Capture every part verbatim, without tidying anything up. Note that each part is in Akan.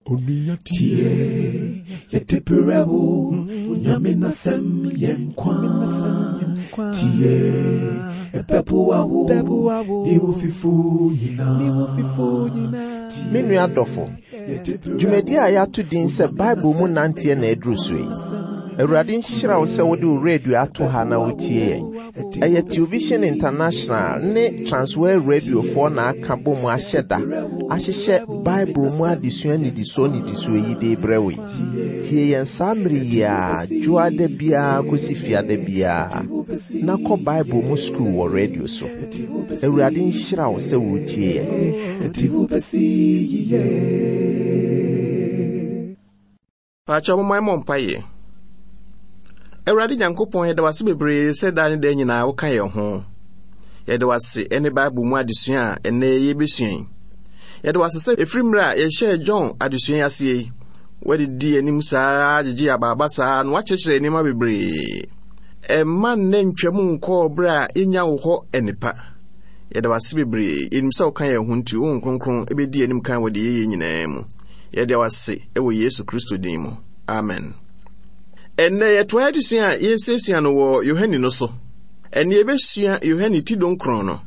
Tie, yɛde brɛ wo, Onyame n'asɛm yɛ nkwa. Tie, ɛbɛboa wo, ne wo fifo nyinaa. Me nua dɔfo, dwumadi a yɛato din sɛ Bible mu nanteɛ na aduru so yi. Awurade nhyira wo sɛ wode wo radio ato ha na wotie yɛn. Ɛyɛ Television International ne Transworld Radiofoɔ na aka bɔ mu ahyɛ da ahyehyɛ Bible mu adesua nnidisoɔ nnidisoɔ yi de brɛ wo yi. Tie yɛn saa mmere yi a dwoada biara kɔsi fiada biara na kɔ Bible mu sukuu wɔ radio so. Awurade nhyira wo sɛ wotie yɛn. Ɛde wo bɛsi yiye. Paakyɛ momma yɛmmɔ mpaeɛ. Awurade Nyankopɔn, yɛda wo ase bebree sɛ daa ne daa nyinaa woka yɛn ho. Yɛda wo ase ne Bible mu adesua a ɛnnɛ yɛbɛsua yi. Yɛda wo ase sɛ ɛfiri mmerɛ a yɛhyɛɛ John adesua yi aseɛ yi, woadidi anim saa gyegye abaaba saa na woakyerɛkyerɛ nneɛma bebree. Ɛmma nnɛ ntwam nkɔɔ berɛ a yɛnya wo hɔ nnipa. Yɛda wo ase bebree. Yɛnim sɛ woka yɛn ho nti, wo Honhom Kronkron bɛdi anim kan wɔ deɛ yɛyɛ nyinaa mu. Yɛda wo ase wɔ Yesu Kristo din mu. Amen. Ɛnnɛ yɛtoa adesua a yɛsuasua no wɔ Yohane no so. Ɛnnɛ yɛbɛsua Yohane ti dunkron no.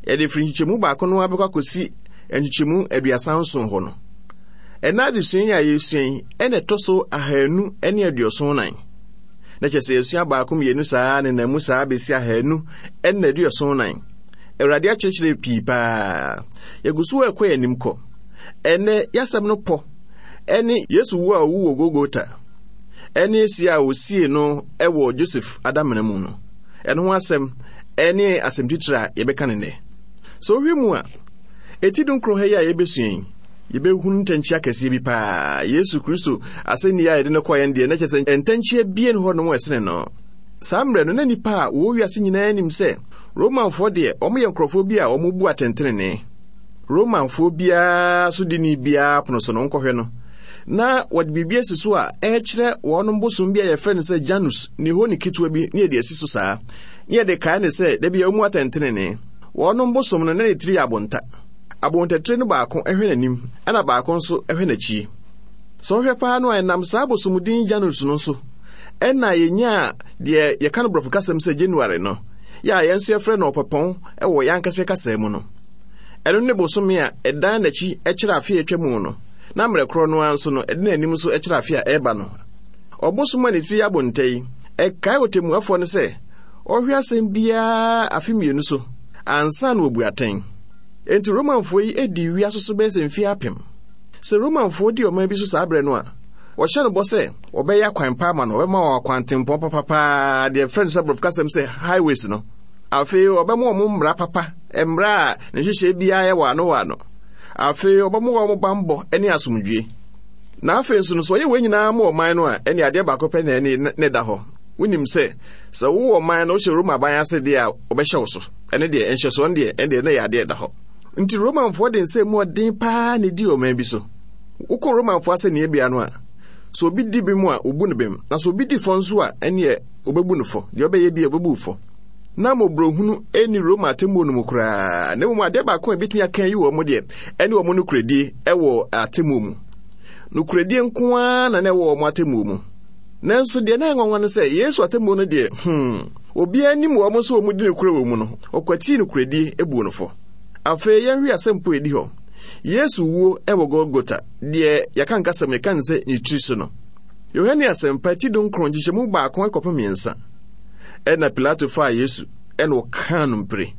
Yɛde firi nkyekyɛmu baako no abɛkɔ akɔsi nkyekyɛmu aduasa nson hɔ no. Ɛnnɛ adesua yi a yɛsua yi, ɛna ɛtɔ so ahanu ne aduɔson nan. Na kyerɛ sɛ yɛsua baako mmienu saa ne nam mu saa bɛsi ahanu ne aduɔson nan. Awurade akyerɛkyerɛ pii paa. Yɛgu so ɛkɔ yɛn anim kɔ. Ɛnnɛ yɛasɛm no pɔ ɛne Yesu wu a ɔwu wɔ Golgota ɛne sie a osie no ɛwɔ Joseph adamena mu no. Ɛno ho asɛm ɛne asɛm titire a yɛbɛka ne nnɛ. Sɛ wohwɛ mu a, eti dunkron ha yi a yɛbɛsua yi, yɛbɛhunu ntɛnkyea kɛseɛ bi paa. Yesu Kristo asɛnni a yɛde no kɔɔ yɛn deɛ, na kyerɛ sɛ ntɛnkyea bie ne hɔ nom ɛsene no. Saa mmerɛ no, na nnipa a wɔwɔ wiase nyinaa nim sɛ Romanfoɔ deɛ, wɔyɛ nkurɔfoɔ bi a wɔbu atɛntenenee. Romanfoɔ biara so dini biara pono so no, nkɔhwɛ no. Na wɔde biribi asi so a ɛkyerɛ wɔn bosom bi a yɛfrɛ no sɛ Janus, ne hɔ ne ketewa bi ne yɛde asi so saa. Ne yɛde kae ne sɛ, da bi a wɔmu atɛntenenee. Wɔn bosom no, na ne tiri yɛ abonta. Abontatire no baako hwɛ n'anim, ɛna baako nso hwɛ n'akyi. Sɛ wohwɛ paa no a, ɛnam saa bosomdin Janus no so, ɛna yɛnyaa deɛ yɛka no borɔfo kasɛm sɛ January no, yɛ a yɛn nso yɛfrɛ no ɔpɛpɔn wɔ yɛn ankasa kasa mu no. Ɛno ne bosome a ɛdan n'akyi kyerɛ afe a atwa mu no, na mmerɛ korɔ no ara nso no, ɛde n'anim nso kyerɛ afe a ɛreba no. Ɔbosom a ne tiri yɛ abonta yi, ɛkae ɔtemmuafoɔ no sɛ ɔhwɛ asɛm biara afe mmienu so ansa na wabu atɛn. Enti Romanfoɔ yi dii wiase so bɛyɛ sɛ mfeɛ apem. Sɛ Romanfoɔ di ɔman bi so saa berɛ no a, wɔhyɛ no bɔ sɛ wɔbɛyɛ akwan pa ama no, wɔbɛma wɔn akwantempɔn papapaa, deɛ yɛfrɛ no sɛ borɔfo kasɛm sɛ highways no. Afei wɔbɛma wɔn mmara papa, mmara a ne nhyehyɛe biara yɛ wɔ ano wɔ ano. Afei wɔbɛma wɔn bammɔ ne asomdwie. Na afei nso no, sɛ ɔyɛ wɔn nyinaa ma ɔman no a, ɛne adeɛ baako pɛ na ɛne ne da hɔ. Wonim sɛ, sɛ wowɔ ɔman no, wohyɛ Roma aban ase deɛ a, wɔbɛhyɛ wo so. Ɛne deɛ, nhyɛsoɔ no deɛ, ɛne deɛ, na ɛyɛ adeɛ ɛda hɔ. Nti Romanfoɔ de nsɛm mu ɔden paa na ɛdi ɔman bi so. Wokɔ Romanfoɔ asɛnniɛ no a, sɛ obi di bem a, obu no bem. Na sɛ obi di fɔ nso a, ɛneɛ obɛbu no fɔ. Deɛ ɔbɛyɛ bi a, obɛbu fɔ. Na mmɔborɔhunu ɛnni Roma atemmuo no mu koraa. Na mmom adeɛ baako a ebɛtumi aka yi wɔ mo deɛ, ɛne wɔn nokorɛdie ɛwɔ atemmuo mu. Nokorɛdie nko ara na na ɛwɔ wɔn atemmuo mu. Nanso deɛ na ɛnwanwa no sɛ, Yesu atemmuo no deɛ, hmm, obiara nim wɔn nso wɔn di nokorɛ wɔ mu no, ɔkwatii nokorɛdie ebuo no fɔ. Afei yɛnhwɛ asɛmpo a ɛdi hɔ. Yesu wuo ɛwɔ Golgota, deɛ yɛka nkasɛm yɛka ne sɛ ne tiri so no. Yohane asɛmpa ti dunkron nkyekyɛmu baako kɔpem mmiɛnsa. Ɛna Pilato faa Yesu ɛna ɔkaa no mpire.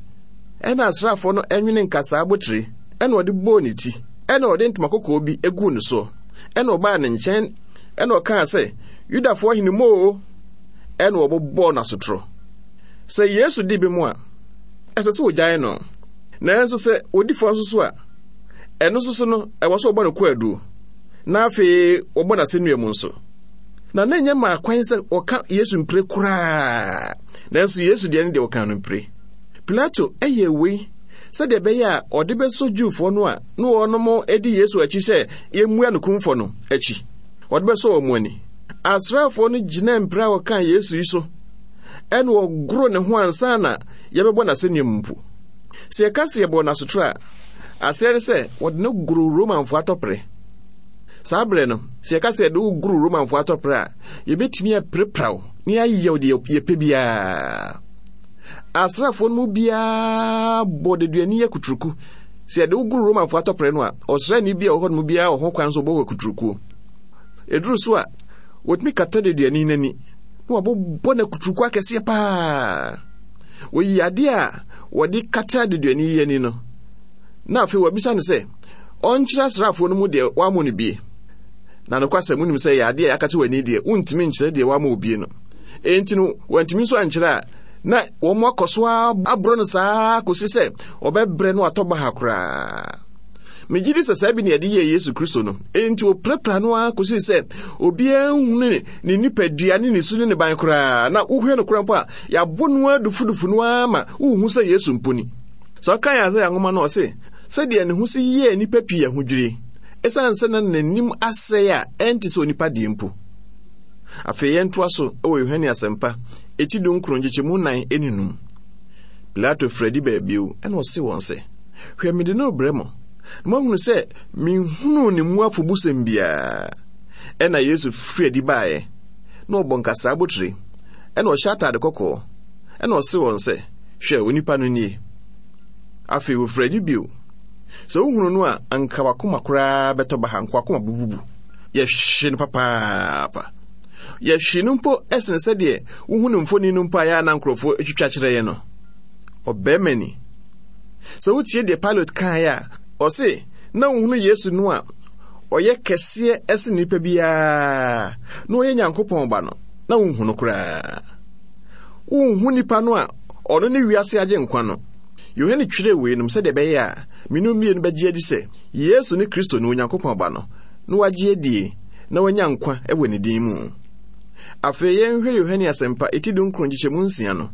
Ɛna asraafoɔ no ɛnwene nkasaa abotire ɛna ɔde bɔɔ ne ti ɛna ɔde ntoma kɔkɔɔ bi eguu ne soɔ ɛna ɔbaa ne nkyɛn ɛna ɔkaa sɛ, Yudafoɔ hene moo, ɛna ɔbobɔɔ n'asotorɔ. Sɛ Yesu di bem a, ɛsɛ sɛ ogyae no. Nanso sɛ odi fɔ nso so a, ɛno nso so no, ɛwɔ sɛ ɔbɔ no kwaadu. Na afei wɔbɔ n'asɛnnua mu nso. Na na ɛnyɛ mmaa kwan sɛ wɔka Yesu mpire koraa. Nanso Yesu deɛ ne deɛ wɔka no mpire. Pilato ɛyɛ wei sɛdeɛ ɛbɛyɛ a ɔde bɛsɔ Jewfoɔ no a na wɔnom di Yesu akyi sɛ yɛmmua no kumfɔ no akyi. Ɔde bɛsɔ wɔn ani. Asraafoɔ no gyina mpire a wɔkaa Yesu yi so ɛna wɔgoro ne ho ansa na yɛbɛbɔ n'asɛnnua mu mpo. Sɛ yɛka sɛ yɛbɔ n'asotoro a, aseɛ ne sɛ wɔde no goro Romanfoɔ atɔpere. Saa berɛ no, sɛ yɛka sɛ yɛde wo goro Romanfoɔ atɔprɛ a, yɛbɛtumi apirapira wo na yɛayɛ wo deɛ yɛpɛ biara. Asraafoɔ no mu biara bɔ deduani akuturuku. Sɛ yɛde wo goro Romanfoɔ atɔprɛ no a, ɔsraani bi a ɔwɔ hɔ no mu biara wɔ ho kwan sɛ ɔbɔ wo akuturukuo. Ɛduru so a, wɔtumi kata deduani no ani na wɔabobɔ no akuturuku akɛseɛ paa. Wɔyi adeɛ a wɔde kata deduani yi ani no, na afei wɔabisa no sɛ ɔnkyerɛ asraafoɔ no mu deɛ wɔamɔ no bie. Na nokwasɛm, wonim sɛ yɛ adeɛ a yɛakata w'ani deɛ, wontumi nkyerɛ deɛ wɔamɔ wo bie no. Enti no, wɔantumi nso ankyerɛ a, na wɔn akɔ so aborɔ no saa kɔsi sɛ ɔbɛbrɛ no atɔ baha koraa. Megye di sɛ saa bi na yɛde yɛɛ Yesu Kristo no. Enti wɔpirapira no ara kɔsi sɛ obiara nhunu ne nipadua ne ne su ne ne ban koraa. Na wohwɛ no koraa mpo a, yɛabɔ no ara dufudufu no ara ma wohu sɛ Yesu mpo ni. Sɛ ɔka yɛn Isaia nwoma no, ɔse, sɛdeɛ ne ho si yɛɛ nnipa pii ahodwiri, ɛsiane sɛ na n'anim asɛe a ɛnte sɛ onipa deɛ mpo. Afei yɛntoa so wɔ Yohane Asɛmpa, eti dunkron nkyekyɛmu nnan ne num. Pilato firi adi baa bio, ɛna ɔse wɔn sɛ, Hwɛ, mede no rebrɛ mo, na moahunu sɛ menhunuu ne mu afobusɛm biara. Ɛna Yesu firi adi baeɛ, na ɔbɔ nkasaa abotire, ɛna ɔhyɛ atade kɔkɔɔ, ɛna ɔse wɔn sɛ, Hwɛ, onipa no nie. Afei wɔfiri adi bio. Sɛ wohunu no a, anka wakoma koraa bɛtɔ baha, anka wakoma bububu. Yɛhwe no papaapa. Yɛhwe no mpo ɛsene sɛdeɛ wohu no mfoni no mpo a yɛa na nkurɔfoɔ atwitwa kyerɛ yɛ no. Ɔbarima ni. Sɛ wotie deɛ Pilate kaeɛ a, ɔse na wohunu Yesu no a ɔyɛ kɛseɛ ɛsene nipa biara na ɔyɛ Nyankopɔn ba no, na wonhu no koraa. Wonhu nipa no a ɔno ne wiase agye nkwa no. Yohane twerɛɛ weinom sɛdeɛ ɛbɛyɛ a me no mmienu bɛgye adi sɛ Yesu ne Kristo ne Onyankopɔn ba no, na wagye adie na wanya nkwa wɔ ne din mu. Afei yɛnhwɛ Yohane Asɛmpa eti dunkron nkyekyɛmu nsia no.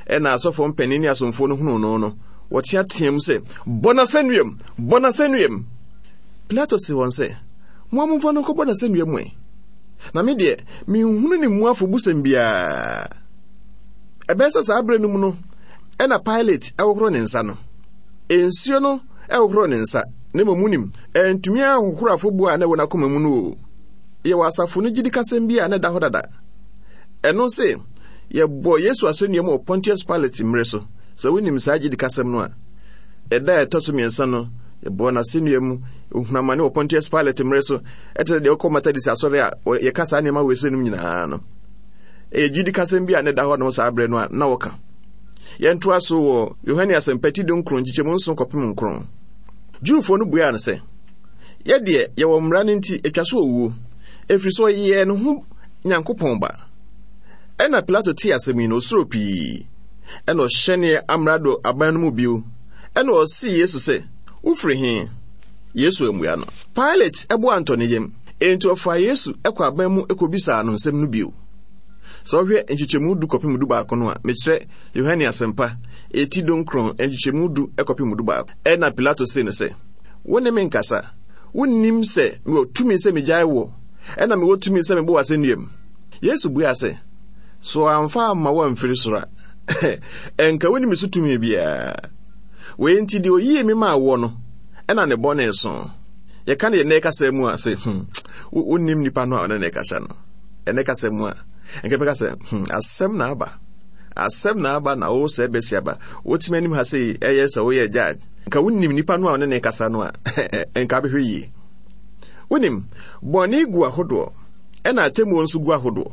Ɛna asɔfoɔ mpanin ne asomfoɔ no hunuu no no, wɔteateam sɛ, Bɔ no asɛnnuam! Bɔ no asɛnnuam! Pilato see wɔn sɛ, Mo a momfa no nkɔbɔ no asɛnnua mu ɛ. Na me deɛ, menhunu ne mu afobusɛm biara. Ɛbɛyɛ sɛ saa berɛ no mu no, ɛna Pilate ɛhohoro ne nsa no. Nsuo no ɛhohoro ne nsa, na mmom wonim, ɛntumi anhohoro afɔbuo a na ɛwɔ n'akoma mu no o. Yɛwɔ asafo no gyidikasɛm bi a na ɛda hɔ dada. Ɛno se, yɛbɔ Yesu asɛnnua mu wɔ Pontius Pilate mmerɛ so. Sɛ wonim saa gyidikasɛm no a, ɛda a ɛtɔ so mmiɛnsa no, yɛbɔɔ n'asɛnnua mu, ohunu amane wɔ Pontius Pilate mmerɛ so. Ɛte sɛ deɛ wokɔ Methodist asɔre a yɛka saa nneɛma wei sɛ nom nyinaa no. Ɛyɛ gyidikasɛm bi a na ɛda hɔ nom saa berɛ no a na wɔka. Yɛntoa so wɔ Yohane Asɛmpa ti dunkron nkyekyɛmu nson kɔpem nkron. Jewfoɔ no buaa no sɛ, Yɛ deɛ, yɛwɔ mmara no nti, ɛtwa so owuo, ɛfiri sɛ ɔyɛɛ ne ho Nyankopɔn ba. Ɛna Pilato tee asɛm yi no, osuro pii. Ɛna ɔhyɛnee amrado aban no mu bio. Ɛna ɔsee Yesu sɛ, Wofiri he? Yesu ammua no. Pilate bo antɔ ne yam, enti ɔfaa Yesu kɔ aban mu kɔbisaa no nsɛm no bio. Sɛ wohwɛ nkyekyɛmu du kɔpem du baako no a, mekyerɛ Yohane Asɛmpa, eti dunkron, nkyekyɛmu du kɔpem du baako. Ɛna Pilato see no sɛ, Wo ne me nkasa. Wonnim sɛ mewɔ tumi sɛ megyae wo, ɛna mewɔ tumi sɛ mebɔ wo asɛnnuam? Yesu buaa sɛ, So amfa amma wo amfiri soro a, ɛnka wonni me so tumi biara. Wei nti deɛ oyii me maa woɔ no, ɛna ne bɔne so. Yɛka no yɛ nnɛ kasa mu a sɛ, hmm, wonnim nipa no a ɔne ne kasa no. Ɛnɛ kasa mu a, nka bɛka sɛ, hmm, asɛm na aba. Asɛm na aba na wo sɛ bɛsi aba. Wotumi anim ha sɛ ɛyɛ sɛ woyɛ judge. Nka wonnim nipa no a ɔne ne kasa no a, nka bɛhwɛ yie. Wonim, bɔne gu ahodoɔ, ɛna atemmuo nso gu ahodoɔ.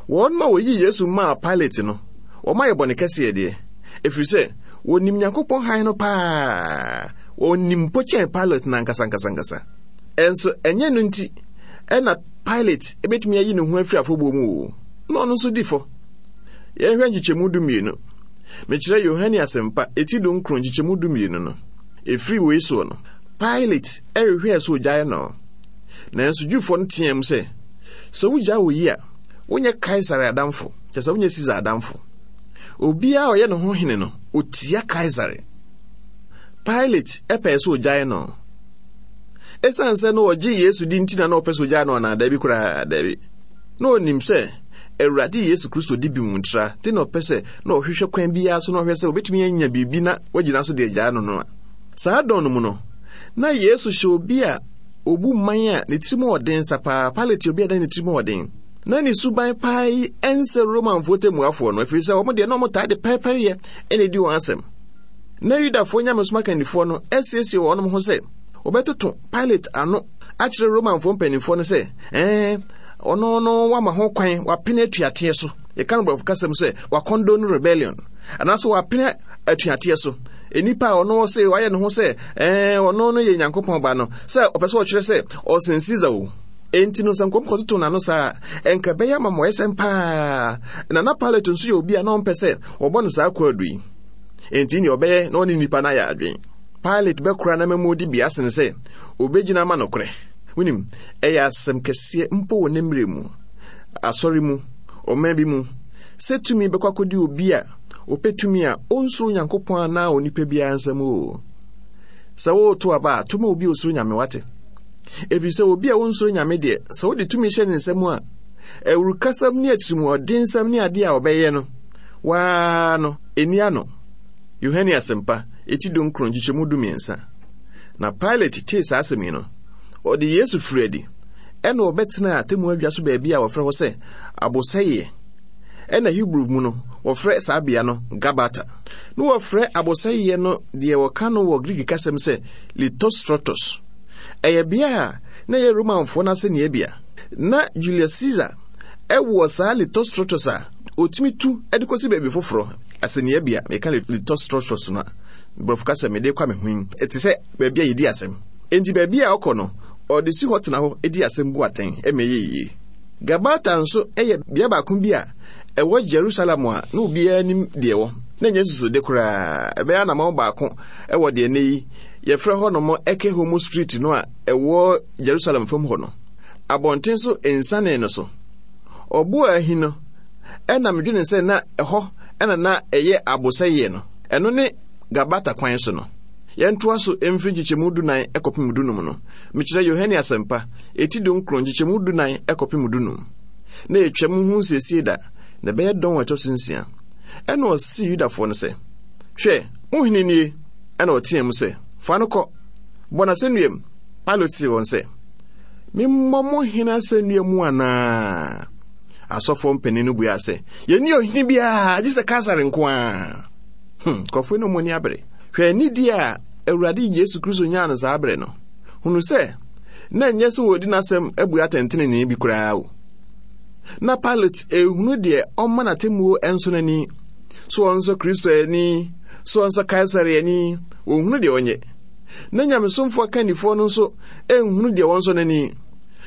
Wɔn ma wɔyii Yesu maa Pilate no, wɔn ayɛ bɔne kɛseɛ deɛ, ɛfiri sɛ wɔnim Nyankopɔn hann no paa. Wɔnim mpo kyɛn Pilate no ankasa ankasa ankasa. Ɛnso ɛnyɛ no nti ɛna Pilate ebetumi ayi ne ho afiri afɔbuo mu o. Na ɔno nso di fɔ. Yɛnhwɛ nkyekyɛmu du mmienu. Mekyerɛ Yohane Asɛmpa eti dunkron nkyekyɛmu du mmienu no. Ɛfiri wei soɔ no, Pilate ɛhwehwɛɛ sɛ ogyae no. Nanso Jewfoɔ no teɛm sɛ, sɛ wogyae oyi a, wonyɛ Kaesare adamfo, kyerɛ sɛ wonyɛ Caesar adamfo. Obiara a ɔyɛ ne ho hene no, otia Kaesare. Pilate ɛpɛɛ sɛ ogyae no. Esiane sɛ na ɔgye Yesu di nti na na ɔpɛ sɛ ogyae no anaa? Dabi koraa, dabi. Na onim sɛ Awurade Yesu Kristo di bem ntra, nti na ɔpɛ sɛ na ɔhwehwɛ kwan biara so na ɔhwɛ sɛ obetumi anya biribi na wagyina so de agyae no no a. Saa dɔn no mu no, na Yesu hyɛ obi a obu man a ne tirim ɔden sapaa. Pilate obi a na ne tirim ɔden. Na ne suban paa yi ɛnsɛ Romanfoɔ temmuafoɔ no, ɛfiri sɛ wɔn deɛ na wɔn taa de pɛrepɛreyɛ ɛna edi wɔn asɛm. Na Yudafoɔ nyamesom akannifoɔ no asiesie wɔn ho sɛ wɔbɛtoto Pilate ano akyerɛ Romanfoɔ mpanimfoɔ no sɛ ɛɛ ɔno no wama ho kwan wapene atuateɛ so. Yɛka no borɔfo kasɛm sɛ wakɔndone rebellion, anaasɛ wapene atuateɛ so. Enipa a ɔno sɛ wayɛ ne ho sɛ ɛɛ ɔno no yɛ Nyankopɔn ba no, sɛ ɔpɛ sɛ ɔkyerɛ sɛ ɔsen Caesar o. Enti no sɛ nkɔm kɔtoto n'ano saa ɛnka bɛyɛ ama mɔyɛsɛm paa. Na na Pilate nso yɛ obi a na ɔmpɛ sɛ wɔbɔ no saa kwaadu yi. Enti nea ɔbɛyɛ na ɔne nipa no ayɛ adwen. Pilate bɛkora na mɛmu di bia sen sɛ obɛgyina ama nokorɛ. Wonim, ɛyɛ asɛm kɛseɛ mpo wɔ ne mmerɛ mu, asɔre mu, ɔman bi mu, sɛ tumi bɛkɔ akɔdi obi a ɔpɛ tumi a ɔnsuro Nyankopɔn anaa onipa biara nsɛm o. Sɛ woreto aba a, toma obi a osuro Nyame wate. Ɛfiri sɛ obi a ɔnsuro Nyame deɛ, sɛ wode tumi hyɛ ne nsɛm a, awurukasɛm ne atirimuɔdensɛm ne adeɛ a ɔbɛyɛ no, waa no, ɛni ano. Yohane Asɛmpa, eti dunkron nkyekyɛmu dumiɛnsa. Na Pilate tee saa asɛm yi no, ɔde Yesu firi adi, ɛna ɔbɛtenaa atemmu adwa so baabi a wɔfrɛ hɔ sɛ Abosɛeɛ. Ɛna Hebrew mu no, wɔfrɛ saa bea no Gabata. Na wɔfrɛ abosɛeɛ no deɛ wɔka no wɔ Greek kasɛm sɛ Lithostrotos. Ɛyɛ bea a na ɛyɛ Romanfoɔ no asɛnniabea. Na Julius Caesar ɛwɔ saa Lithostrotos a otumi tu de kɔsi baabi foforɔ. Asɛnniabea, meka Lithostrotos no a, borɔfo kasɛm mede kɔ me ho yi, ɛte sɛ baabi a yɛdi asɛm. Enti baabi a ɔkɔ no, ɔde si hɔ tena hɔ di asɛm bu atɛn ɛma ɛyɛ yie. Gabata nso yɛ bea baako bi a ɛwɔ Jerusalem a na obiara nim deɛ wɔ. Na ɛnyɛ nsusode koraa. Ɛbɛyɛ anammɔn baako ɛwɔ deɛ nnɛ yi yɛfrɛ hɔ nom Eke Homo Street no a ɛwɔ Jerusalem fam hɔ no. Abɔnten so nsiane no so. Ɔbo a ahi no, ɛna medwene sɛ na ɛhɔ ɛna na ɛyɛ abosɛeɛ no. Ɛno ne Gabata kwan so no. Yɛntoa so mfiri nkyekyɛmu dunan ɛkɔpem dunum no. Mekyerɛ Yohane Asɛmpa, eti dunkron nkyekyɛmu dunan ɛkɔpem dunum. Na etwam ho nsiesie da, na ɛbɛyɛ dɔn a ɛtɔ so nsia. Ɛna ɔsii Yudafoɔ no sɛ, hwɛ, wo hene nie. Ɛna ɔteɛ mu sɛ, fa no kɔ, bɔ n'asɛnnua. Pilate see wɔn sɛ, memmɔ mo hene asɛnnua mu anaa? Asɔfoɔ mpanin no buaa sɛ, yɛnni ɔhene biara gye sɛ Kaesare nko ara. Hmm, nkurɔfoɔ no mu ani abere. Hwɛ anidie a Awurade Yesu Kristo nyaa no saa bere no. Hunu sɛ, na ɛnyɛ sɛ wɔdi n'asɛm abu atɛntenenee bi koraa o. Na Pilate ehunu deɛ ɔma n'atemmuo nso n'ani. So ɔnsɔ Kristo ani, so ɔnsɔ Kaesare ani, wɔnhunu deɛ ɔnyɛ. Na nyamesomfoɔ akannifoɔ no nso nhunu deɛ wɔnsɔ n'ani.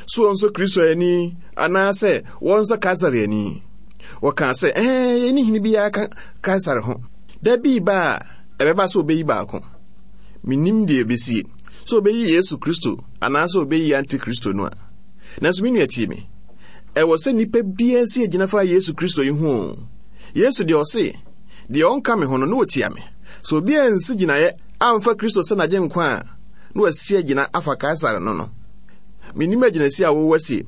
So ɔnsɔ Kristo ani, anaasɛ wɔnsɔ Kaesare ani. Wɔkaa sɛ, ɛɛ, yɛnni hene biara ka Kaesare ho. Da bi ba a, ɛbɛba sɛ ɔbɛyi baako. Mennim deɛ ɛbɛsie, sɛ ɔbɛyi Yesu Kristo anaasɛ ɔbɛyi Antikristo no a. Nanso me nua tie me. Ɛwɔ sɛ nnipa biara si agyina fa Yesu Kristo yi ho. Yesu deɛ ɔse, deɛ ɔnka me ho no, na ɔtia me. Sɛ obi ansi gyinaeɛ amfa Kristo sɛ n'agyenkwa a, na wasi agyina afa Kaesare no no. Mennim agyinasi a wowɔ asie.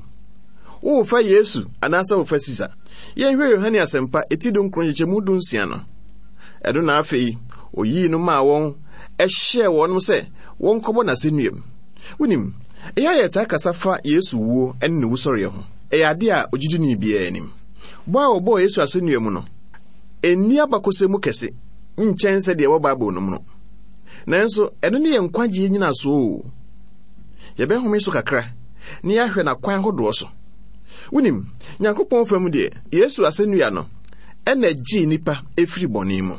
Worefa Yesu anaasɛ wofa Caesar? Yɛnhwɛ Yohane Asɛmpa eti dunkron nkyekyɛmu dunsia no. Ɛno na afei oyii no maa wɔn, ɛhyɛɛ wɔn sɛ wɔnkɔbɔ n'asɛnnuam. Wonim, ɛyɛ a yɛtaa kasa fa Yesu wuo ne ne wusɔreɛ ho. Ɛyɛ ade a ogyidini biara anim. Bɔ a wɔbɔɔ Yesu asɛnnua mu no, ɛnni abakɔsɛm mu kɛse nkyɛn sɛ deɛ ɛwɔ Bible no mu no. Nanso, ɛno ne yɛn nkwagyeɛ nyinasoɔ o. Yɛbɛhome so kakra na yɛahwɛ n'akwan ahodoɔ so. Wonim, Nyankopɔn fam deɛ, Yesu asɛnnua no ɛna ɛgyee nnipa ɛfiri bɔne mu.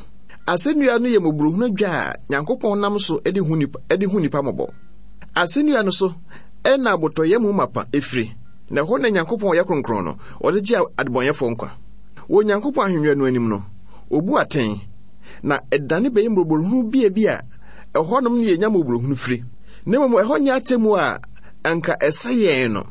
Asɛnnua no yɛ mmɔborɔhunu dwa a Nyankopɔn nam so de hu nipa, de hu nipa mmɔbɔ. Asɛnnua no so ɛna abotɔyam mapa ɛfiri, na ɛhɔ na Nyankopɔn ɔyɛ kronkron no, ɔde gye adebɔnyɛfoɔ nkwa. Wɔ Nyankopɔn ahennwa no anim no, obu atɛn, na ɛdane bɛyɛ mmɔborɔhunu bia bi a ɛhɔnom ne yɛnya mmɔborɔhunu firi. Na mmom ɛhɔ nyɛ atemmuo a anka ɛsɛ yɛn no.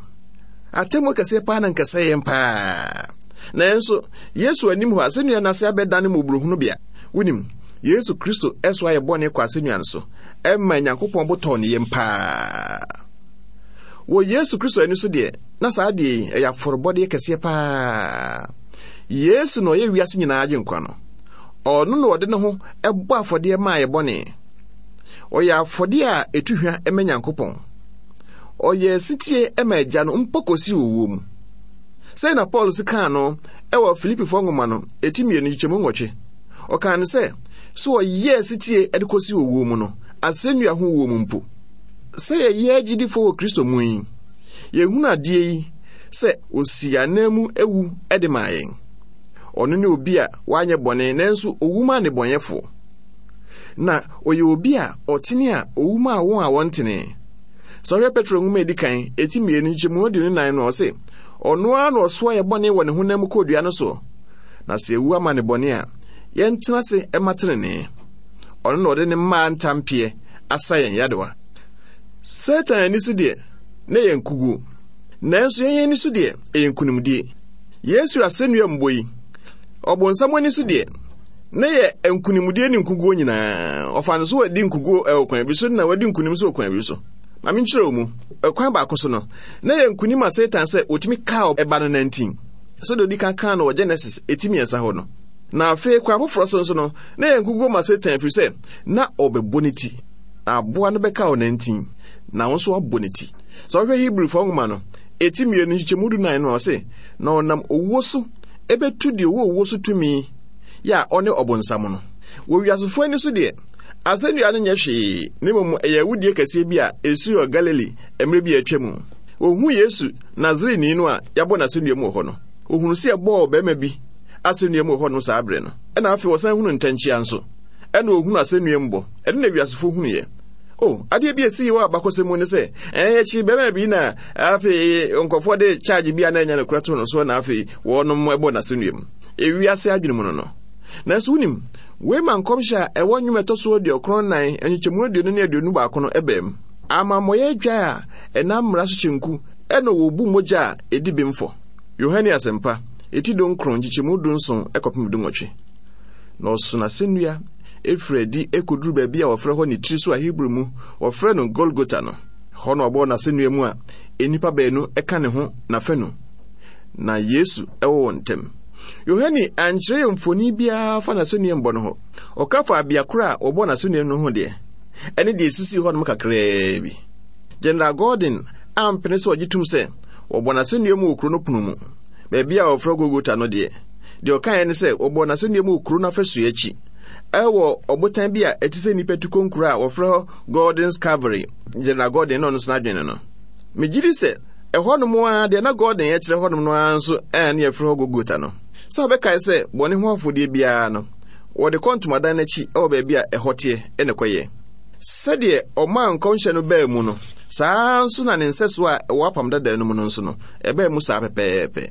Atemmuo kɛseɛ paa na anka ɛsɛ yɛn paa. Nanso, Yesu anim hɔ asɛnnua no ase abɛdane mmɔborɔhunu bea. Wonim, Yesu Kristo ɛso ayɛ bɔne kɔ asɛnnua no so, ɛma Nyankopɔn bo tɔɔ ne yam paa. Wɔ Yesu Kristo ani so deɛ, na saa adeɛ yi ɛyɛ afɔrebɔdeɛ kɛseɛ paa. Yesu na ɔyɛ wiase nyinaa agyenkwa no. Ɔno na ɔde ne ho ɛbɔ afɔdeɛ maa yɛ bɔne. Ɔyɛ afɔdeɛ a ɛtu hwa ma Nyankopɔn. Ɔyɛɛ setie ma Agya no mpo kosii owuo mu. Sɛn na Paul si kaa no ɛwɔ Filipifoɔ nwoma no, eti mmienu nkyekyɛmu nwɔtwe. Ɔkaa no sɛ, sɛ ɔyɛɛ setie de kosii owuo mu no, asɛnnua ho wuo mu mpo. Sɛ yɛyɛ agyidifoɔ wɔ Kristo mu yi, yɛhunu adeɛ yi sɛ osi anan mu ewu de maa yɛn. Ɔno ne obi a wanyɛ bɔne nanso owu maa nnebɔneyɛfoɔ. Na ɔyɛ obi a ɔtene a owu maa wɔn a wɔntene. Sɛ ɔhwɛ Petro nwoma a edi kan, eti mmienu nkyekyɛmu aduonu nan no, ɔse, ɔno ara na ɔsoa yɛ bɔne wɔ ne honam mu kɔɔ dua no soɔ. Na sɛ ewu ama ne bɔne a, yɛntena ase ma tenenee. Ɔno na ɔde ne mmaa ntampeɛ asa yɛn yadewa. Satan ani so deɛ, na ɛyɛ nkuguo. Nanso yɛn ani so deɛ, ɛyɛ nkonimdie. Yesu asɛnnua mbɔ yi, ɔbonsam ani so deɛ, na yɛ nkonimdie ne nkuguo nyinaa. Ɔfa no so wadi nkuguo ɛwɔ kwan bi so na wadi nkonim so wɔ kwan bi so. Ma menkyerɛ wo mu. Ɛkwan baako so no, na yɛ nkonim a Satan sɛ otumi kaa ɛba no nantin. Sɛdeɛ odi kan kaa no wɔ Genesis eti mmiɛnsa hɔ no. Na afei kwan foforɔ so nso no, na yɛ nkuguo ma Satan ɛfiri sɛ na ɔbɛbɔ ne ti. Na aboa no bɛka ɔnantin, na wɔn nso abɔ ne ti. Sɛ ɔhwɛ Hebrewfoɔ nwoma no, eti mmienu nkyekyɛmu du nan no, ɔse, na ɔnam owuo so ɛbɛtu deɛ ɔwɔ owuo so tumi yɛ a ɔne ɔbonsam no. Wɔ wiasefoɔ ani so deɛ, asɛnnua no nyɛ hwee, na mmom ɛyɛ awudie kɛseɛ bi a ɛsii wɔ Galili mmerɛ bi a atwa mu. Wɔhuu Yesu Nasareni no a yɛabɔ n'asɛnnua mu wɔ hɔ no. Wɔhunu sɛ yɛbɔɔ ɔbarima bi asɛnnua mu wɔ hɔnom saa berɛ no. Ɛna afei wɔsan hunu ntɛnkyea nso. Ɛna wɔhunu asɛnnua mu bɔ. Ɛno na wiasefoɔ hunuiɛ. O, adeɛ bi a ɛsii wɔ abakɔsɛm mu ne sɛ, ɛn akyi bɛrima bi na afei nkurɔfoɔ de charge bi a na ɛnyɛ nokorɛ too no soɔ na afei wɔnom ɛbɔ n'asɛnnua mu. Ewiase adwene mu no no. Nanso wonim, wei ma nkɔmhyɛ a ɛwɔ nnwom ɛtɔ so aduɔkron nan, nkyekyɛmu aduonu ne aduonu baako no ɛbaa mu. Amammɔyɛ adwa a ɛnam mmara so kyenku ɛna wɔbu mogya a ɛdi bem fɔ. Yohane Asɛmpa, eti dunkron, nkyekyɛmu dunson ɛkɔpem dunwɔtwe. Na ɔso n'asɛnnua efiri adi ekoduru baabi a wɔfrɛ hɔ ne tiri so a Hebrew mu wɔfrɛ no Golgota no. Hɔ na ɔbɔɔ n'asɛnnua mu a nnipa baanu ɛka ne ho n'afanu. Na Yesu ɛwɔ wɔn ntam. Yohane ankyerɛ yɛn mfoni biara fa n'asɛnnua mbɔ no ho. Ɔka fa abea koro a wɔbɔ n'asɛnnua no ho deɛ, ɛne deɛ esisii hɔnom kakraa bi. General Gordon ampene sɛ ɔgye tom sɛ wɔbɔ n'asɛnnua mu wɔ kuro no pono mu, baabi a wɔfrɛ Golgota no deɛ. Deɛ ɔkaeɛ ne sɛ wɔbɔ n'asɛnnua mu wɔ kuro no afasuo akyi, ɛwɔ ɔbotan bi a ɛte sɛ nnipa tu konkuro a wɔfrɛ hɔ Gordon's Calvary. General Gordon na ɔno nso n'adwene no. Megye di sɛ ɛhɔnom ara deɛ na Gordon kyerɛ hɔnom no ara nso ɛna ne yɛfrɛ hɔ Golgota no. Sɛ wobɛkae sɛ bɔne ho afɔdeɛ biara no, wɔde kɔ ntomadan n'akyi ɛwɔ baabi a ɛhɔ teɛ ɛna ɛkɔyɛ. Sɛdeɛ ɔmaa nkɔmhyɛ no baa mu no, saa nso na ne nsɛsoɔ a ɛwɔ apam dada no mu no nso no, ɛbaa mu saa pɛpɛɛpɛ.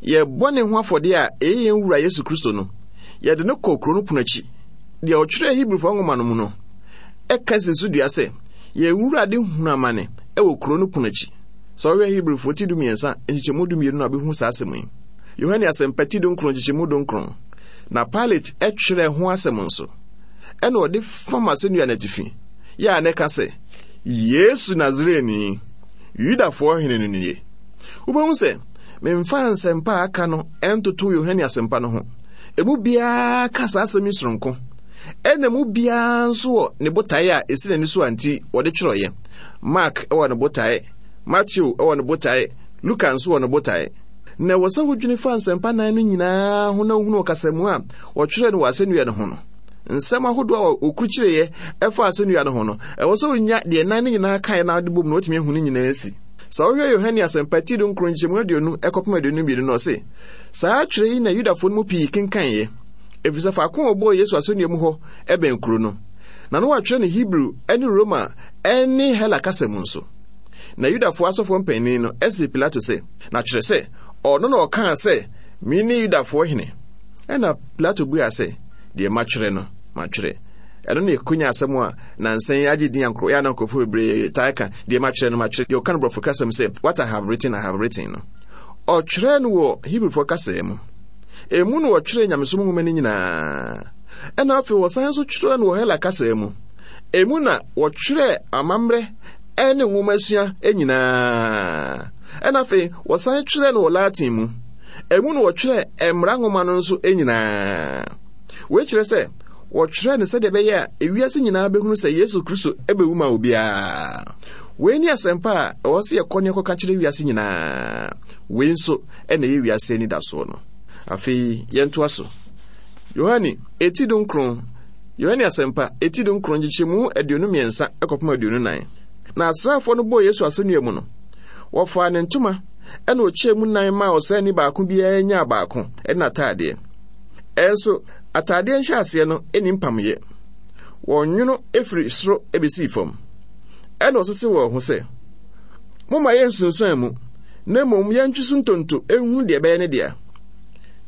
Yɛ bɔne ho afɔdeɛ a ɛyɛ yɛn wura Yesu Kristo no, yɛde no kɔ kuro no pono akyi. Deɛ ɔtwerɛɛ Hebrifoɔ nwoma no mu no, ɛka si so dua sɛ, yɛn wura de hunu amane ɛwɔ kuro no pono akyi. Sɛ ɔhwɛ Hebrifoɔ ti dumiɛnsa, nkyekyɛmu dumienu na ɔbɛhu saa asɛm yi. Yohane Asɛmpa ti dunkron, nkyekyɛmu dunkron. Na Pilate ɛtwerɛɛ ho asɛm nso. Ɛna ɔde fam asɛnnua n'atifi. Yɛ a na ɛka sɛ, Yesu Nasareni, Yudafoɔ hene no nie. Wobɛhu sɛ, memfa nsɛmpa a aka no ɛntoto Yohane Asɛmpa no ho. Emu biara ka saa asɛm yi soronko. Ɛna mu biara nso wɔ ne botae a esi n'ani so a nti wɔde twerɛeɛ. Mark wɔ ne botae, Matthew wɔ ne botae, Luka nso wɔ ne botae. Na ɛwɔ sɛ wodwene fa nsɛmpa nan no nyinaa ho na wohunu ɔkasamu a wɔtwerɛ no wɔ asɛnnua no ho no. Nsɛm ahodoɔ a wɔkurukyireeɛ ɛfa asɛnnua no ho no, ɛwɔ sɛ wonya deɛ nan no nyinaa kaeɛ na wode bom na wotumi ahu ne nyinaa si. Sɛ wohwɛ Yohane Asɛmpa ti dunkron nkyɛmu aduonu ɛkɔpem aduonu mmienu no, ɔse, saa twerɛ yi na Yudafoɔ no mu pii kenkaneeɛ, ɛfiri sɛ faako a wɔbɔɔ Yesu asɛnnua mu hɔ ɛbɛn kuro no. Na no wɔatwerɛ no Hebrew ne Roma ne Hela kasa mu nso. Na Yudafoɔ asɔfoɔ mpanin no ɛsee Pilato sɛ, na kyerɛ sɛ ɔno na ɔkaa sɛ, mene Yudafoɔ hene. Ɛna Pilato buaa sɛ, deɛ matwerɛ no, matwerɛ. Ɛno ne ɛkonya asɛm a nansa yi agye din ankorɔ, yɛ a na nkurɔfoɔ bebree taa ka, deɛ matwerɛ no, matwerɛ. Deɛ ɔka no borɔfo kasam sɛ, what I have written, I have written no. Ɔtwerɛ no wɔ Hebrifoɔ kasa mu. Emu na wɔtwerɛ nyamesom nwoma no nyinaa. Ɛna afei wɔsan nso twerɛ no wɔ Hela kasa mu. Emu na wɔtwerɛ amammerɛ ne nwomasua nyinaa. Ɛna afei wɔsan twerɛ no wɔ Latin mu. Emu na wɔtwerɛ mmara nwoma no nso nyinaa. Wei kyerɛ sɛ wɔtwerɛ no sɛdeɛ ɛbɛyɛ a ewiase nyinaa bɛhunu sɛ Yesu Kristo bɛwu ma obiara. Wei ne asɛmpa a ɛwɔ sɛ yɛkɔ ne yɛkɔka kyerɛ wiase nyinaa. Wei nso ɛna ɛyɛ wiase anidasoɔ no. Afei yɛntoa so. Yohane eti dunkron, Yohane asɛmpa eti dunkron nkyekyɛmu aduonu mmiɛnsa kɔpem aduonu nan. Na asraafoɔ no bɔɔ Yesu asɛnnua mu no, wɔfaa ne ntoma ɛna ɔkyɛɛ mu nan maa ɔsraani baako biara nyaa baako ɛne n'ataadeɛ. Ɛnso ataadeɛ nhyɛaseɛ no ɛni mpamyɛ. Wɔnwono efiri soro ebesii fam. Ɛna ɔsese wɔn ho sɛ, momma yɛnsunsuan mu, na mmom yɛntwe so ntonto ehu deɛ ɛbɛyɛ ne dea.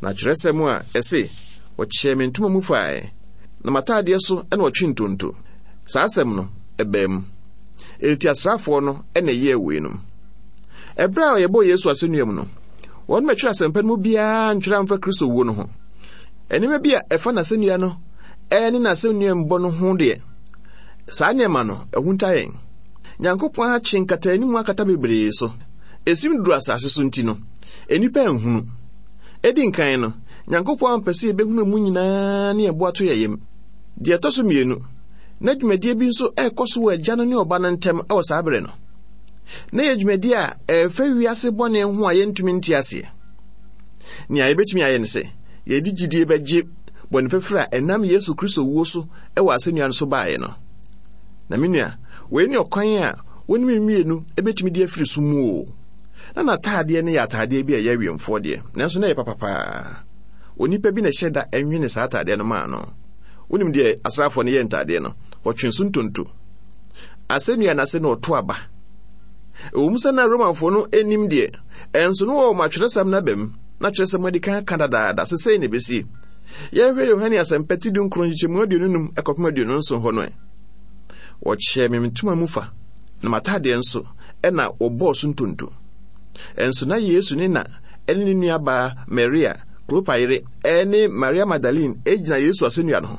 Na kyerɛsɛm a ɛse, wɔkyɛɛ me ntoma mu fae, na m'ataadeɛ so ɛna ɔtwe ntonto. Saa asɛm no, ɛbaa mu. Enti asraafoɔ no ɛna ɛyɛɛ weinom. Ɛberɛ a yɛbɔɔ Yesu asɛnnua mu no, wɔn mɛtwerɛ asɛmpa no mu biara ntwerɛ amfa Kristo wuo no ho. Nneɛma bi a ɛfa n'asɛnnua no ɛne n'asɛnnua mbɔ no ho deɛ, saa nneɛma no ɛhunta yɛn. Nyankopɔn akye nkataanim akata bebree so. Esim duru asase so nti no, nnipa nhunu. Edi nkan no, Nyankopɔn ampɛ sɛ yɛbɛhunu mu nyinaa ne yɛn ato yɛn yam. Deɛ ɛtɔ so mmienu, na dwumadie bi nso ɛrekɔ so wɔ agya no ne ɔba no ntam ɛwɔ saa bere no. Na yɛ dwumadie a ɛfa wiase bɔne ho a yɛntumi nte aseɛ. Nea yɛbɛtumi ayɛ ne sɛ, yɛde gyidie bɛgye bɔne fafiri a ɛnam Yesu Kristo wuo so ɛwɔ asɛnnua no so baeɛ no. Na me nua, wei ne ɔkwan a wo ne me mmienu ɛbɛtumi de afiri so mu o. Na n'ataadeɛ no yɛ ataadeɛ bi a ɛyɛ awiemfoɔ deɛ, nanso na ɛyɛ papapaa. Onipa bi na ɛhyɛ da ɛnwene saa ataadeɛ no maa no. Wonim deɛ asraafoɔ no yɛ ntaadeɛ no, wɔtwe so ntonto. Asɛnnua no ase na ɔto aba. Ɛwɔ mu sɛ na Romanfoɔ no anim deɛ, ɛnso no wɔwɔ atwerɛsɛm no aba mu, na atwerɛsɛm adi kan ka dadaada sɛ sei na ɛbɛsie. Yɛnhwɛ Yohane asɛmpa ti dunkron nkyekyɛmu aduonu num ɛkɔpem aduonu nson hɔ no ɛ. Wɔkyɛɛ me ntoma mu fa, na m'ataadeɛ nso ɛna wɔbɔɔ so ntonto. Ɛnso na Yesu ne na ɛne ne nuabaa Maria, Klopa yere, ɛne Maria Magdalene egyina Yesu asɛnnua no ho.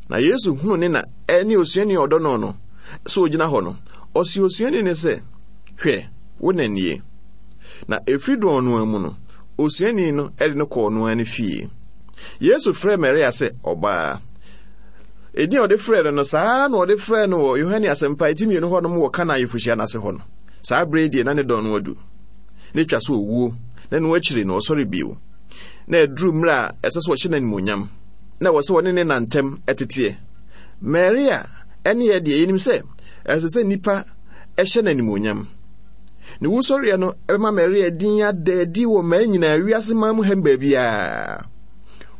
Na Yesu hunu ne na ɛne osuani a ɔdɔ no no sɛ ogyina hɔ no, ɔsi osuani no sɛ, hwɛ, wo na nie. Na efiri dɔn no mu no, osuani no ɛde no kɔɔ no ara ne fie. Yesu frɛɛ Maria sɛ ɔbaa. Edin a ɔde frɛɛ no no, saa na ɔde frɛɛ no wɔ Yohane asɛmpa eti mmienu hɔnom wɔ Kana ayeforɔhyia n'ase hɔ no. Saa bere deɛ na ne dɔn no adu. Na etwa so owuo, na ɛno akyiri no ɔsɔre bio. Na ɛduru mmerɛ a ɛsɛ sɛ ɔhyɛ no animuonyam, na ɛwɔ sɛ ɔne ne nantam ɛteteɛ. Maria ɛne yɛ deɛ yɛnim sɛ ɛsɛ sɛ nnipa ɛhyɛ no animuonyam. Ne wusɔreɛ no ɛbɛma Maria din ada adi wɔ mmaa nyinaa wiase man mu ha baabiara.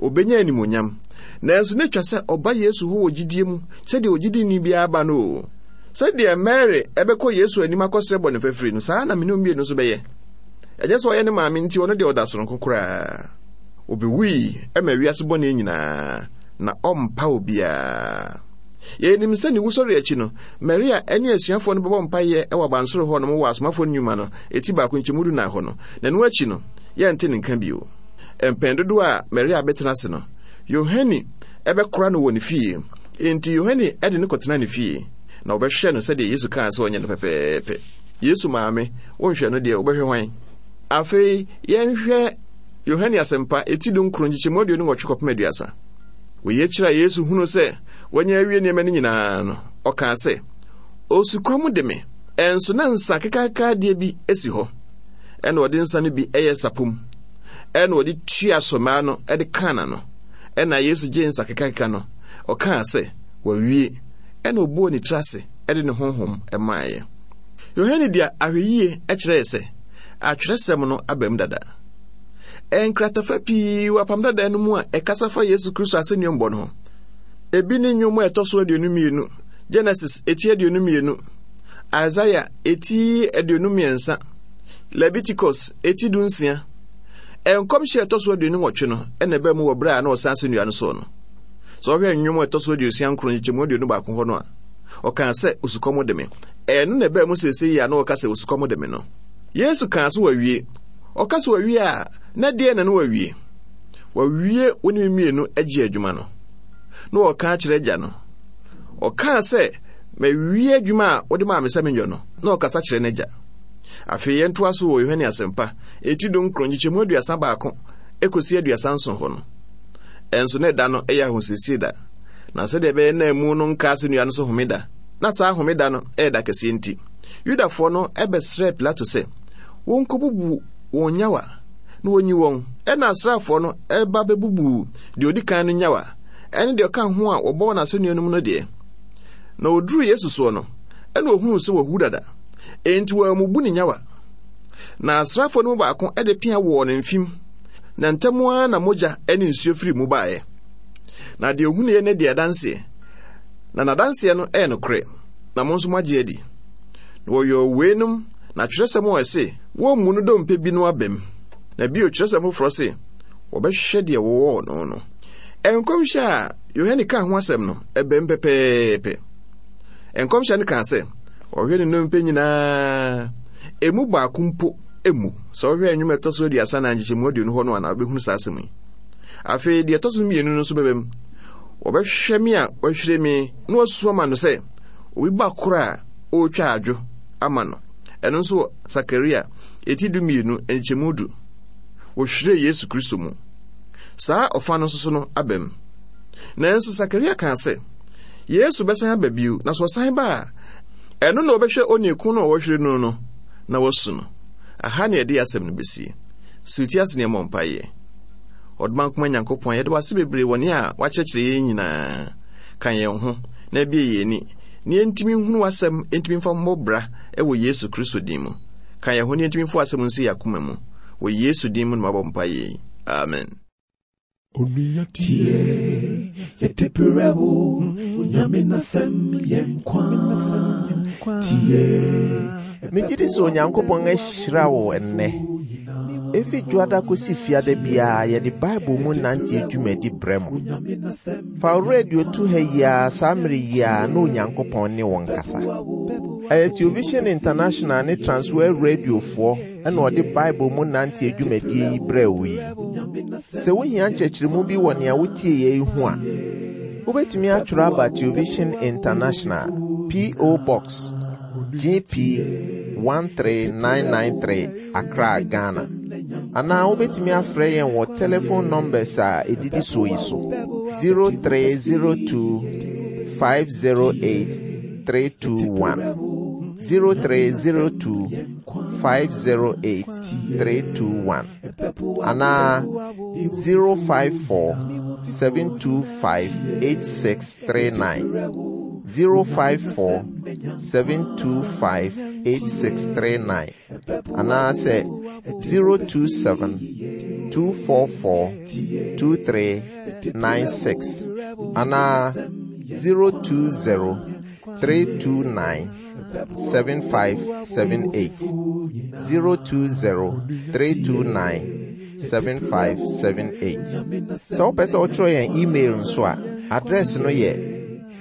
Obenya animuonyam. Nanso ne twa sɛ ɔba Yesu hɔ wɔ gyidie mu sɛdeɛ ogyidini biara ba no o. Sɛdeɛ Mary ɛbɛkɔ Yesu anim akɔsrɛ bɔne fafiri no, saa na mene mmienu nso bɛyɛ. Ɛnyɛ sɛ ɔyɛ ne maame nti ɔno deɛ ɔda soronko koraa. Obewui ɛma wiase bɔne nyinaa na ɔmpa obiara. Yɛnim sɛ ne wusɔre akyi no, Maria ɛne asuafoɔ no bɛbɔ mpaeɛ ɛwɔ abansoro hɔ nom wɔ asomafoɔ no nnwuma no eti baako nkyɛmu du nan hɔ no. Na ɛno akyi no, yɛnte ne nka bio. Mpɛn dodoɔ a Maria bɛtena ase no, Yohane ɛbɛkora no wɔ ne fie. Enti Yohane ɛde no kɔtena ne fie, na ɔbɛhwɛ no sɛdeɛ Yesu kaa sɛ ɔnyɛ no pɛpɛɛpɛ. Yesu maame, wonhwɛ no deɛ, wobɛhwɛ hwan? Afei yɛnhwɛ Yohane asɛmpa eti dunkron nkyekyɛmu aduonu nwɔtwe kɔpem aduasa. Wei akyiri a Yesu hunu sɛ wanya awie nneɛma no nyinaa no, ɔkaa sɛ, osukɔm de me. Ɛnso na nsa kekakaadeɛ bi esi hɔ. Ɛna ɔde nsa no bi ɛyɛ sapom. Ɛna ɔde tua sɔmaa no ɛde kaa n'ano. Ɛna Yesu gye nsa kekakeka no, ɔkaa sɛ, wawie. Ɛna ɔbɔɔ ne tiri ase ɛde ne honhom ɛmaeɛ. Yohane de ahwɛyie ɛkyerɛɛ sɛ atwerɛsɛm no aba mu dada. Nkratafa pii wɔ apam dada no mu a ɛkasa fa Yesu Kristo asɛnnuambɔ no ho. Ebi ne nnwom a ɛtɔ so aduonu mmienu, Genesis eti aduonu mmienu, Isaiah eti aduonu mmiɛnsa, Leviticus eti du nsia. Nkɔmhyɛ a ɛtɔ so aduonu nwɔtwe no ɛna ɛbaa mu wɔ berɛ a na ɔsan asɛnnua no soɔ no. Sɛ ɔhwɛ nnwom a ɛtɔ so aduosia nkron nkyekyɛmu aduonu baako hɔ no a, ɔkaa sɛ osukɔm de me. Ɛno na ɛbaa mu seesei yi a na ɔka sɛ osukɔm de me no. Yesu kaa so wawie. Ɔka so wawie a, na deɛ na no wawie. Wawie wo ne me mmienu agye adwuma no. Na ɔka akyerɛ agya no. Ɔkaa sɛ, mawie adwuma a wode maa me sɛ menyɔ no. Na ɔkasa kyerɛ n'agya. Afei yɛntoa so wɔ Yohane asɛmpa eti dunkron nkyekyɛmu aduasa baako ekosi aduasa nson hɔ no. Ɛnso na ɛda no ɛyɛ ahosiesie da. Na sɛdeɛ ɛbɛyɛ na emu no nka asɛnnua no so homeda. Na saa homeda no ɛyɛ da kɛseɛ nti, Yudafoɔ no bɛsrɛɛ Pilato sɛ wɔnkɔbubu wɔn nyawa na wɔnyi wɔn. Ɛnna asraafoɔ no ba bɛbubuu deɛ ɔdi kan no nyawa ne deɛ ɔka ho a wɔbɔ wɔn asɛnnua no mu no deɛ. Na ɔduruu Yesu soɔ no, ɛnna ɔhunuu sɛ wawu dada. Enti wɔammubu ne nyawa. Na asraafoɔ no mu baako de pea wɔɔ ne mfem, na ntɛm ara na mogya ne nsuo firii mu baeɛ. Na deɛ ɔhunuiɛ no di adanseɛ, na n'adanseɛ no yɛ nokorɛ, na mo nso moagye adi. Na wɔyɔɔ weinom na twerɛsɛm a ɛse, Wɔmmu no dompe bi no abam. Na bio twerɛsɛm foforɔ se, Wɔbɛhwehwɛ deɛ wɔwɔɔ no no. Nkɔmhyɛ a Yohane kaa ho asɛm no, ɛbam pɛpɛɛpɛ. Nkɔmhyɛ no kaa sɛ, Ɔhwɛ ne nnompe nyinaa, emu baako mpo mmu. Sɛ wohwɛ nnwom a ɛtɔ so aduasa na nkyekyɛmu aduonu hɔ no a na wobɛhunu saa asɛm yi. Afei deɛ ɛtɔ so mmienu no nso bɛbam. Wɔbɛhwehwɛ me a wɔahwire me na wɔasu ama no sɛ obi ba koro a ɔretwa adwo ama no. Ɛno nso wɔ Sakaria eti du mmienu nkyɛmu du. Wɔhwiree Yesu Kristo mu. Saa ɔfa no nso so no abam. Nanso Sakaria kaa sɛ Yesu bɛsan aba bio, na sɛ ɔsan ba a, ɛno na wɔbɛhwɛ onii ko no a wɔhwere no no na wɔasu no. Aha ne yɛde asɛm no besie. Siw ti ase na yɛmmɔ mpaeɛ. Ɔdomankoma Nyankopɔn, yɛda wo ase bebree wɔ nea woakyerɛkyerɛ yɛn nyinaa. Ka yɛn ho na bue yɛn ani na yɛntumi nhunu w'asɛm ntumi mfa mmɔ bra wɔ Yesu Kristo din mu. Ka yɛn ho na yɛntumi mfa w'asɛm nsi yɛn akoma mu. Wɔ Yesu din mu na mabɔ mpaeɛ yi. Amen. Onua tie, yɛde brɛ wo, Onyame n'asɛm yɛ nkwa. Tie. Megye di sɛ Onyankopɔn ahyira wo ɛnnɛ. Efi Dwoada kosi Fiada biara yɛde Bible mu nante dwumadi brɛ mo. Fa wo radio to ha yi ara saa mmere yi ara na Onyankopɔn ne wo nkasa. Ɛyɛ Television International ne Transworld Radiofoɔ na ɔde Bible mu nante dwumadie yi brɛ wo yi. Sɛ wohia nkyerɛkyerɛmu bi wɔ nea wotie yɛ yi ho a, wobɛtumi atwerɛ aba Television International, P O. Box G P one three nine nine three, Accra, Ghana. Anaa wobɛtumi afrɛ yɛn wɔ telephone numbers a ɛdidi soɔ yi so: zero three zero two five zero eight three two one, zero three zero two five zero eight three two one, anaa zero five four seven two five eight six three nine, zero five four seven two five eight six three nine, anaasɛ zero two seven two four four two three nine six, anaa zero two zero three two nine seven five seven eight, zero two zero three two nine seven five seven eight. Sɛ wopɛ sɛ wotwerɛ yɛn email nso a, address no yɛ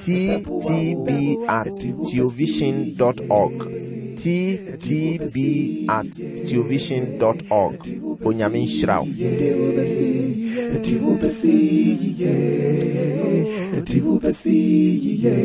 T T B at theovision dot org, T T B at theovision dot org. Onyame nhyira wo. Yɛde wo bɛsi, yɛde wo bɛsi yiye, yɛde wo bɛsi yiye.